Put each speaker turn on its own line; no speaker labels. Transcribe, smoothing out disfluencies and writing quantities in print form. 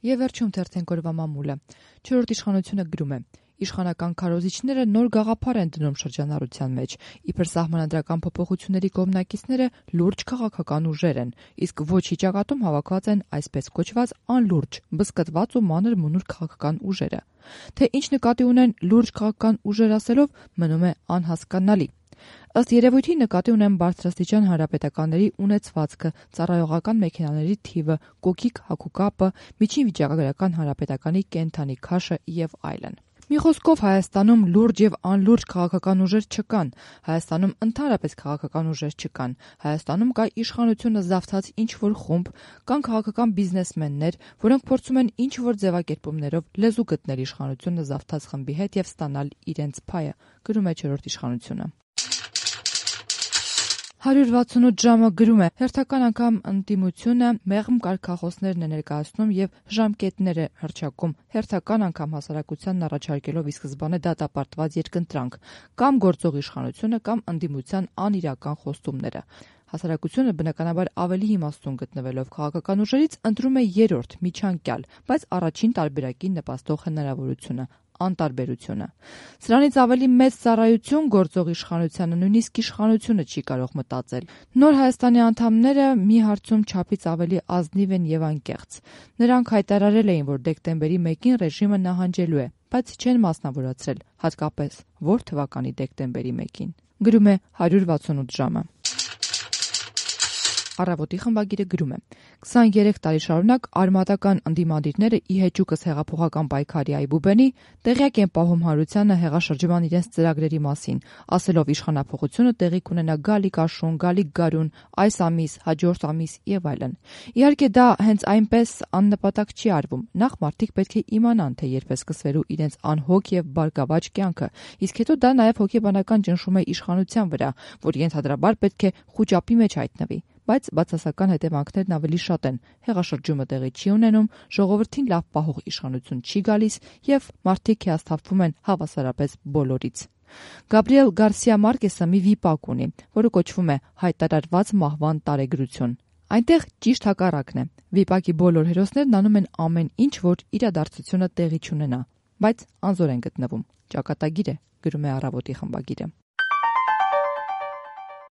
Եվ վերջում թերթենք օրվա մամուլը։ 4-րդ իշխանությունը գրում է. Իշխանական քարոզիչները նոր գաղափար են դնում շրջանառության մեջ, իբր սահմանադրական փոփոխությունների կողմնակիցները լուրջ քաղաքական ուժեր են, իսկ ոչ հիճակատում հավաքված են այսպես կոչված անլուրջ, բզկտված ու մանր մունուր քաղաքական ուժերը։ Թե ինչ նկատի ունեն լուրջ քաղաքական ուժեր ասելով, մնում է անհասկանալի։ Ըստ երևույթի նկատի ունեն բարձրաստիճան հանրապետականների ունեցվածքը, ծառայողական մեքենաների թիվը, կոկիկ հագուկապը, միջին վիճակագրական հանրապետականի կենդանի քաշը եւ այլն։ Մի խոսքով Հայաստանում լուրջ եւ անլուրջ քաղաքական ուժեր չկան, Հայաստանում ընդհանրապես քաղաքական ուժեր չկան, Հայաստանում կա իշխանությունը զավթած ինչ-որ խումբ, կան քաղաքական բիզնեսմեններ, որոնք փորձում են ինչ-որ ձևակերպումներով լեզու գտնել իշխանությունը զավթած խմբի հետ եւ ստանալ իրենց փայը, գրում է 4-րդ իշխանությունը։ 168 ժամը գրում է. հերթական անգամ ընդդիմությունը մեղմ կարգախոսներն է ներկայացնում եւ ժամկետներ է հռչակում, հերթական անգամ հասարակությանն առաջարկելով ի սկզբանե դատապարտված երկընտրանք, կամ գործող իշխանությունը, կամ ընդդիմության անիրական խոստումները։ Հասարակությունը բնականաբար ավելի իմաստուն գտնվելով քաղաքական ուժերից ընտրում է երրորդ միջանկյալ, բայց առաջին տարբերակին նպաստող հնարավորությունը, անտարբերությունը։ Սրանից ավելի մեծ ծառայություն գործող իշխանությանը նույնիսկ իշխանությունը չի կարող մտածել։ Նոր Հայաստանի անդամները մի հարցում չափից ավելի ազնիվ են եւ անկեղծ։ Նրանք հայտարարել էին, որ դեկտեմբերի 1-ին ռեժիմը նահանջելու է, բայց չեն մասնավորացրել, հատկապես որ թվականի դեկտեմբերի 1-ին։ Գրում է 168 ժամը։ Առավոտի խմբագիրը գրում է. 23 տարի շարունակ արմատական ընդդիմադիրները ի հեճուկս հեղափոխական պայքարի այբուբենի տեղյակ են պահում հանրությանը հեղաշրջման իրենց ծրագրերի մասին, ասելով իշխանափոխությունը տեղի կունենա գալիք աշուն, գալիք գարուն, այս ամիս, հաջորդ ամիս եւ այլն։ Իհարկե դա հենց այնպես աննպատակ չի արվում։ Նախ մարդիկ պետք է իմանան, թե երբ է սկսվելու իրենց անհոգ եւ բարգավաճ կյանքը, իսկ հետո դա նաեւ հոգեբանական ճնշում է իշխանության վրա, որ ենթադրաբար պետք է խուճապի մեջ հայտնվի։ Բայց բացասական հետևանքներն ավելի շատ են։ Հեղաշրջումը տեղի չի ունենում, ժողովրդին լավ պահող իշխանություն չի գալիս եւ մարդիկ հիասթափվում են հավասարապես բոլորից։ Գաբրիել Գարսիա Մարկեսը մի վիպակ ունի, որը կոչվում է հայտարարված մահվան տարեգրություն։ Այնտեղ ճիշտ հակառակն է։ Վիպակի բոլոր հերոսներն անում են ամեն ինչ, որ իրադարձությունը տեղի չունենա, բայց անզոր են գտնվում։ Ճակատագիր է, գրում է Առավոտի խմբագիրը։